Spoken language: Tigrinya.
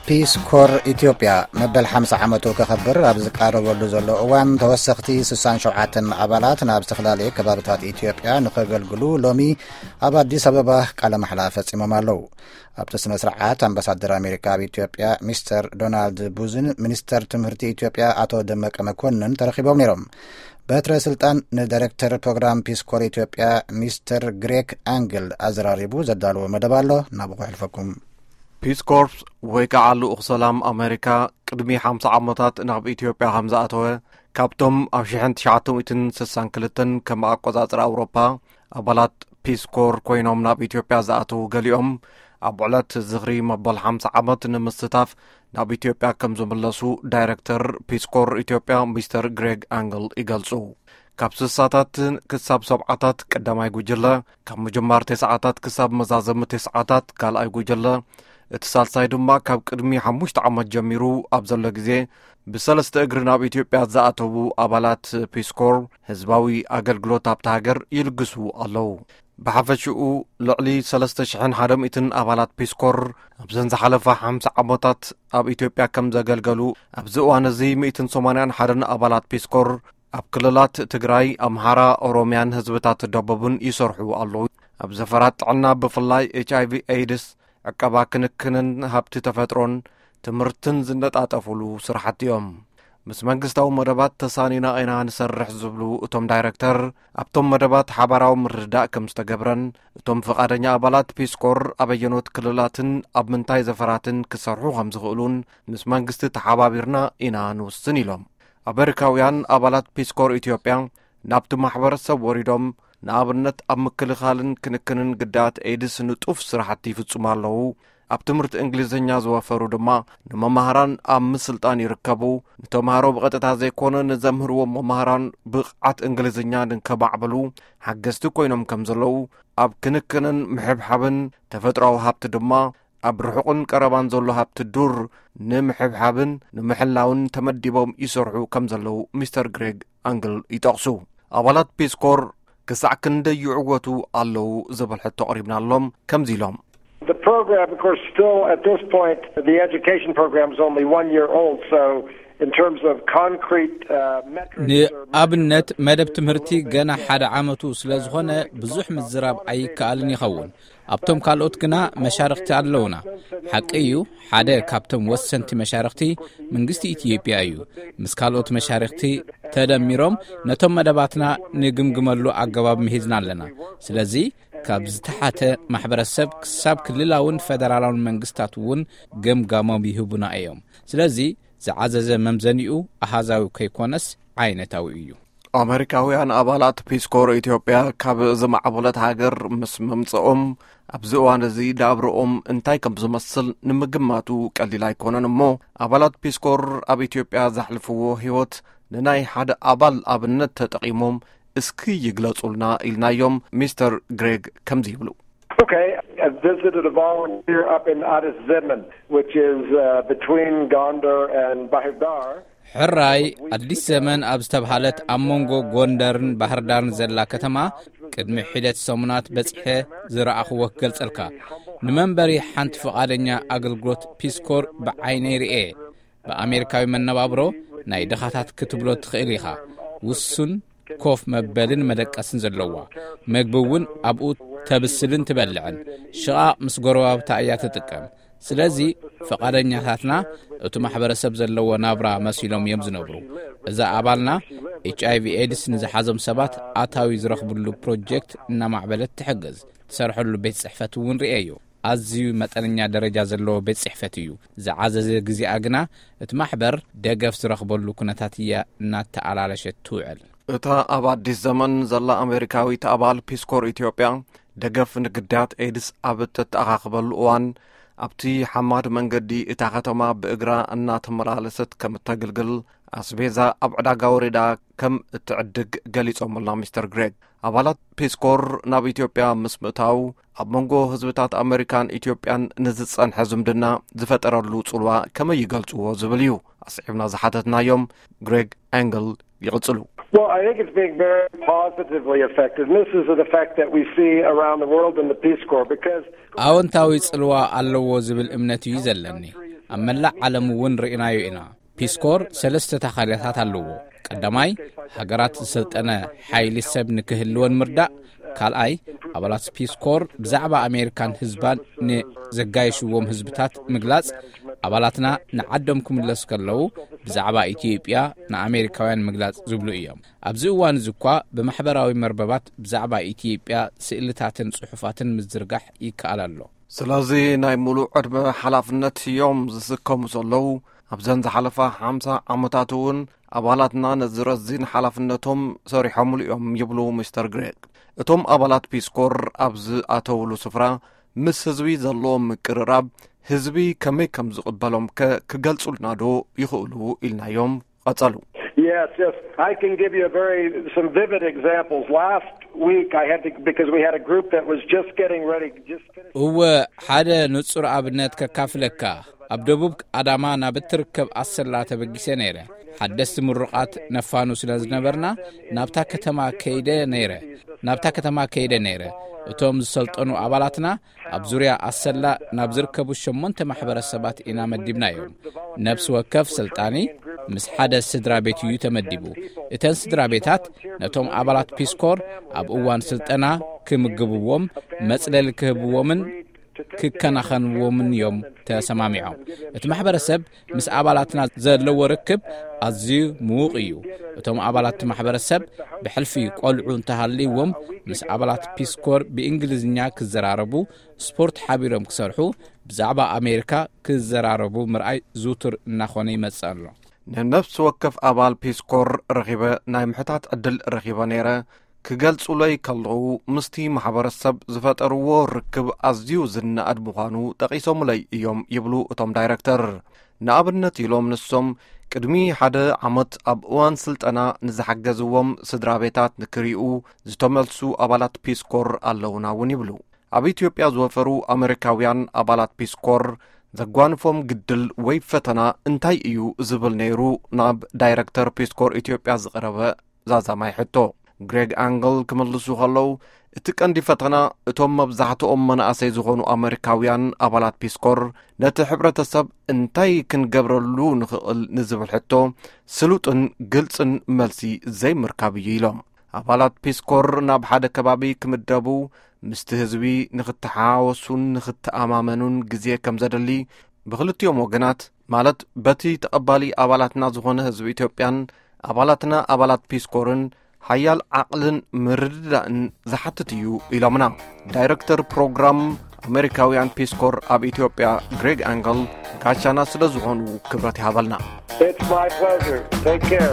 ፒስ ኮር ኢትዮጵያ መበል ሓምሳ ዓመቱ ከኸብር ኣብ ዝቃረበሉ ዘሎ እዋን፣ ተወሰኽቲ ስሳን ሸውዓተን ኣባላት ናብ ዝተፈላለዩ ከባብታት ኢትዮጵያ ንኸገልግሉ ሎሚ ኣብ ኣዲስ ኣበባ ቃለ ማሕላ ፈጺሞም ኣለዉ። ኣብቲ ስነ ስርዓት፣ ኣምባሳደር ኣሜሪካ ኣብ ኢትዮጵያ ሚስተር ዶናልድ ቡዝን፣ ሚኒስተር ትምህርቲ ኢትዮጵያ ኣቶ ደመቀ መኮንን ተረኺቦም ነይሮም። በትረ ስልጣን ንዳይሬክተር ፕሮግራም ፒስ ኮር ኢትዮጵያ ሚስተር ግሬክ ኣንግል ኣዘራሪቡ ዘዳለዎ መደብ ኣሎ፣ ናብኡ ከሕልፈኩም። ፒስ ኮርፕስ ወይ ከዓ ልኡኽ ሰላም ኣሜሪካ ቅድሚ ሓምሳ ዓመታት ናብ ኢትዮጵያ ከም ዝኣተወ፣ ካብቶም ኣብ ሽሕን ትሽዓተ ሚእትን ስሳን ክልተን ከም ኣቆጻጽራ ኣውሮፓ ኣባላት ፒስ ኮር ኮይኖም ናብ ኢትዮጵያ ዝኣተዉ ገሊኦም፣ ኣብ ዕለት ዝኽሪ መበል ሓምሳ ዓመት ንምስታፍ ናብ ኢትዮጵያ ከም ዝምለሱ ዳይሬክተር ፒስ ኮር ኢትዮጵያ ሚስተር ግሬግ ኣንግል ይገልጹ። ካብ ስሳታት ክሳብ ሰብዓታት ቀዳማይ ጉጅለ፣ ካብ ምጅማር ተስዓታት ክሳብ መዛዘሚ ተስዓታት ካልኣይ ጉጅለ፣ እቲ ሳልሳይ ድማ ካብ ቅድሚ ሓሙሽተ ዓመት ጀሚሩ ኣብ ዘሎ ግዜ ብሰለስተ እግሪ ናብ ኢትዮጵያ ዝኣተዉ ኣባላት ፒስ ኮር ህዝባዊ ኣገልግሎት ኣብታ ሃገር ይልግሱ ኣለዉ። ብሓፈሽኡ ልዕሊ ሰለስተ ሽሕን ሓደ ሚእትን ኣባላት ፒስ ኮር ኣብዘን ዝሓለፋ ሓምሳ ዓመታት ኣብ ኢትዮጵያ ከም ዘገልገሉ፣ ኣብዚ እዋን እዚ ሚእትን ሰማንያን ሓደን ኣባላት ፒስ ኮር ኣብ ክልላት ትግራይ፣ ኣምሓራ፣ ኦሮምያን ህዝብታት ደቡብን ይሰርሑ ኣለዉ። ኣብ ዘፈራት ጥዕና፣ ብፍላይ ኤች ኣይ ቪ ኤድስ፣ ዕቀባ፣ ክንክንን ሃብቲ ተፈጥሮን ትምህርትን ዝነጣጠፉሉ ስራሕቲ እዮም። ምስ መንግስታዊ መደባት ተሳኒና ኢና ንሰርሕ ዝብሉ እቶም ዳይረክተር፣ ኣብቶም መደባት ሓባራዊ ምርድዳእ ከም ዝተገብረን፣ እቶም ፍቓደኛ ኣባላት ፒስ ኮር ኣበየኖት ክልላትን ኣብ ምንታይ ዘፈራትን ክሰርሑ ከም ዝኽእሉን ምስ መንግስቲ ተሓባቢርና ኢና ንውስን ኢሎም። ኣሜሪካውያን ኣባላት ፒስ ኮር ኢትዮጵያ ናብቲ ማሕበረሰብ ወሪዶም፣ ንኣብነት ኣብ ምክልኻልን ክንክንን ግዳያት ኤድስ ንጡፍ ስራሕቲ ይፍጽሙ ኣለዉ። ኣብ ትምህርቲ እንግሊዝኛ ዝወፈሩ ድማ ንመማህራን ኣብ ምስልጣን ይርከቡ። ንተምሃሮ ብቐጥታ ዘይኮነ ንዘምህርዎም መማህራን ብቕዓት እንግሊዝኛ ንከማዕብሉ ሓገዝቲ ኮይኖም ከም ዘለዉ፣ ኣብ ክንክንን ምሕብሓብን ተፈጥሮኣዊ ሃብቲ ድማ ኣብ ርሑቕን ቀረባን ዘሎ ሃብቲ ዱር ንምሕብሓብን ንምሕላውን ተመዲቦም ይሰርሑ ከም ዘለዉ ሚስተር ግሬግ ኣንግል ይጠቕሱ። ኣባላት ፒስ ኮር ክሳዕ ክንደይ ይዕወቱ ኣለዉ ዝብል ሕቶ ኣቕሪብናሎም ከምዚ ኢሎም። The program, of course, still at this point, the education program is only one year old, so in terms of concrete, uh, metrics or ንኣብነት መደብ ትምህርቲ ገና ሓደ ዓመቱ ስለ ዝኾነ ብዙሕ ምዝራብ ኣይከኣልን ይኸውን። ኣብቶም ካልኦት ግና መሻርኽቲ ኣለውና። ሓቂ እዩ፣ ሓደ ካብቶም ወሰንቲ መሻርኽቲ መንግስቲ ኢትዮጵያ እዩ። ምስ ካልኦት መሻርኽቲ ተደሚሮም ነቶም መደባትና ንግምግመሉ ኣገባብ ምሂዝና ኣለና። ስለዚ ካብ ዝተሓተ ማሕበረሰብ ክሳብ ክልላውን ፈደራላውን መንግስታት እውን ገምጋሞም ይህቡና እዮም። ስለዚ ዝዓዘዘ መምዘኒኡ ኣሃዛዊ ከይኮነስ ዓይነታዊ እዩ። ኣመሪካውያን ኣባላት ፒስ ኮር ኢትዮጵያ ካብ ዝማዕበለት ሃገር ምስ ምምጽኦም፣ ኣብዚ እዋን እዚ ናብርኦም እንታይ ከም ዝመስል ንምግማቱ ቀሊል ኣይኮነን። እሞ ኣባላት ፒስ ኮር ኣብ ኢትዮጵያ ዘሕልፍዎ ህይወት ንናይ ሓደ ኣባል ኣብነት ተጠቒሞም እስኪ ይግለጹልና ኢልናዮም። ሚስተር ግሬግ ከምዚ ይብሉ። Okay, I visited a volunteer up in Addis Zemen, which is, uh, between Gondar and Bahir Dar. ሕራይ፣ ኣዲስ ዘመን ኣብ ዝተብሃለት ኣብ መንጎ ጎንደርን ባህርዳርን ዘላ ከተማ ቅድሚ ሒደት ሰሙናት በጺሐ ዝረኣኽዎ ክገልጸልካ። ንመንበሪ ሓንቲ ፍቓደኛ ኣገልግሎት ፒስ ኮር ብዓይነይ ርኤ። ብኣሜሪካዊ መነባብሮ ናይ ድኻታት ክትብሎ ትኽእል ኢኻ። ውሱን ኮፍ መበልን መደቀስን ዘለዋ፣ መግቢ እውን ኣብኡ ተብስልን ትበልዕን። ሽቓቕ ምስ ጎረባብታ እያ ትጥቀም። ስለዚ ፍቓደኛታትና እቲ ማሕበረሰብ ዘለዎ ናብራ መሲሎም እዮም ዝነብሩ። እዛ ኣባልና ኤች ኣይ ቪ ኤድስ ንዝሓዞም ሰባት ኣታዊ ዝረኽብሉ ፕሮጀክት እናማዕበለት ትሕግዝ። ትሰርሐሉ ቤት ጽሕፈት እውን ርእየዮ። ኣዝዩ መጠነኛ ደረጃ ዘለዎ ቤት ጽሕፈት እዩ። ዝዓዘዘ ግዜኣ ግና እቲ ማሕበር ደገፍ ዝረኽበሉ ኩነታት እያ እናተኣላለሸት ትውዕል። እታ ኣብ ኣዲስ ዘመን ዘላ ኣሜሪካዊት ኣባል ፒስ ኮር ኢትዮጵያ፣ ደገፍ ንግዳያት ኤድስ ኣብ እተተኣኻኽበሉ እዋን፣ ኣብቲ ሓማድ መንገዲ እታ ከተማ ብእግራ እናተመላለሰት ከም እተግልግል፣ ኣስቤዛ ኣብ ዕዳጋ ወሪዳ ከም እትዕድግ ገሊጾምልና ሚስተር ግሬግ። ኣባላት ፒስኮር ናብ ኢትዮጵያ ምስ ምእታው፣ ኣብ መንጎ ህዝብታት ኣመሪካን ኢትዮጵያን ንዝጸንሐ ዝምድና ዝፈጠረሉ ጽልዋ ከመይ ይገልጽዎ ዝብል እዩ ኣስዒብና ዝሓተትናዮም። ግሬግ ኣንግል ይቕጽሉ። Well, I think it's being very positively affected. And this is the fact that we see around the world in the Peace Corps because ኣወንታዊ ጽልዋ ኣለዎ ዝብል እምነት እዩ ዘለኒ። ኣብ መላእ ዓለም እውን ርኢናዮ ኢና። ፒስኮር ሰለስተ ተኻልያታት ኣለዎ። ቀዳማይ፣ ሃገራት ዝሰልጠነ ሓይሊ ሰብ ንክህልወን ምርዳእ። ካልኣይ፣ ኣባላት ፒስኮር ብዛዕባ ኣሜሪካን ህዝባን ንዘጋየሽዎም ህዝብታት ምግላጽ። ኣባላትና ንዓዶም ክምለሱ ከለዉ ብዛዕባ ኢትዮጵያ ንኣሜሪካውያን ምግላጽ ዝብሉ እዮም። ኣብዚ እዋን እዚ እኳ ብማሕበራዊ መርበባት ብዛዕባ ኢትዮጵያ ስእልታትን ጽሑፋትን ምዝርጋሕ ይከኣል ኣሎ። ስለዚ ናይ ሙሉእ ዕድመ ሓላፍነት እዮም ዝስከሙ ዘለዉ። ኣብዘን ዝሓለፋ ሓምሳ ዓመታት እውን ኣባላትና ነዚ ረዚን ሓላፍነቶም ሰሪሖምሉ እዮም ይብሉ ሚስተር ግሬግ። እቶም ኣባላት ፒስኮር ኣብ ዝኣተውሉ ስፍራ ምስ ህዝቢ ዘለዎም ምቅርራብ፣ ህዝቢ ከመይ ከም ዝቕበሎም ከ ክገልጹልና ዶ ይኽእሉ ኢልናዮም። ቀጸሉ። Yes, yes. I can give you a very some vivid examples. Last week I had to because we had a group that was just getting ready, just finished. እወ፣ ሓደ ንጹር ኣብነት ከካፍለካ። ኣብ ደቡብ ኣዳማ ናብ እትርከብ ኣሰላ ተበጊሰ ነይረ። ሓደስቲ ምሩቓት ነፋኑ ስለ ዝነበርና ናብታ ከተማ ከይደ ነይረ። ናብታ ከተማ ከይደ ነይረ። እቶም ዝሰልጠኑ ኣባላትና ኣብ ዙርያ ኣሰላ ናብ ዝርከቡ ሸሞንተ ማሕበረሰባት ኢና መዲብናዮም። ነፍሲ ወከፍ ሰልጣኒ ምስ ሓደ ስድራ ቤት እዩ ተመዲቡ። እተን ስድራ ቤታት ነቶም ኣባላት ፒስኮር ኣብ እዋን ስልጠና ክምግብዎም፣ መጽለሊ ክህብዎምን ክከናኸንዎምን እዮም ተሰማሚዖም። እቲ ማሕበረሰብ ምስ ኣባላትና ዘለዎ ርክብ ኣዝዩ ምዉቕ እዩ። እቶም ኣባላት እቲ ማሕበረሰብ ብሕልፊ ቆልዑ እንተሃልይዎም ምስ ኣባላት ፒስኮር ብእንግሊዝኛ ክዘራረቡ፣ ስፖርት ሓቢሮም ክሰርሑ፣ ብዛዕባ ኣሜሪካ ክዘራረቡ ምርኣይ ዝውቱር እናኾነ ይመጽእ ኣሎ። ንነፍሲ ወከፍ ኣባል ፒስኮር ረኺበ ናይ ምሕታት ዕድል ረኺበ ነይረ። ክገልጹለይ ከለዉ ምስቲ ማሕበረሰብ ዝፈጠርዎ ርክብ ኣዝዩ ዝነኣድ ምዃኑ ጠቒሶምለይ እዮም ይብሉ እቶም ዳይረክተር። ንኣብነት ኢሎም ንሶም ቅድሚ ሓደ ዓመት ኣብ እዋን ስልጠና ንዝሓገዝዎም ስድራ ቤታት ንክሪኡ ዝተመልሱ ኣባላት ፒስኮር ኣለውና እውን ይብሉ። ኣብ ኢትዮጵያ ዝወፈሩ ኣመሪካውያን ኣባላት ፒስኮር ዘጓንፎም ግድል ወይ ፈተና እንታይ እዩ ዝብል ነይሩ ናብ ዳይረክተር ፒስኮር ኢትዮጵያ ዝቐረበ ዛዛማይ ሕቶ። ግሬግ ኣንግል ክምልሱ ከለዉ፣ እቲ ቀንዲ ፈተና እቶም መብዛሕትኦም መናእሰይ ዝኾኑ ኣመሪካውያን ኣባላት ፒስኮር ነቲ ሕብረተሰብ እንታይ ክንገብረሉ ንኽእል ንዝብል ሕቶ ስሉጥን ግልጽን መልሲ ዘይምርካብ እዩ ኢሎም። ኣባላት ፒስኮር ናብ ሓደ ከባቢ ክምደቡ ምስቲ ህዝቢ ንኽተሓዋወሱን ንኽተኣማመኑን ግዜ ከም ዘድሊ ብክልቲኦም ወገናት፣ ማለት በቲ ተቐባሊ ኣባላትና ዝኾነ ህዝቢ ኢትዮጵያን ኣባላትና ኣባላት ፒስኮርን ሓያል ዓቕልን ምርድዳእን ዝሓትት እዩ ኢሎምና። ዳይረክተር ፕሮግራም ኣሜሪካውያን ፒስኮር ኣብ ኢትዮጵያ ግሬግ ኣንግል ጋሻና ስለ ዝኾኑ ክብረት ይሃበልና። It's my pleasure. Take care.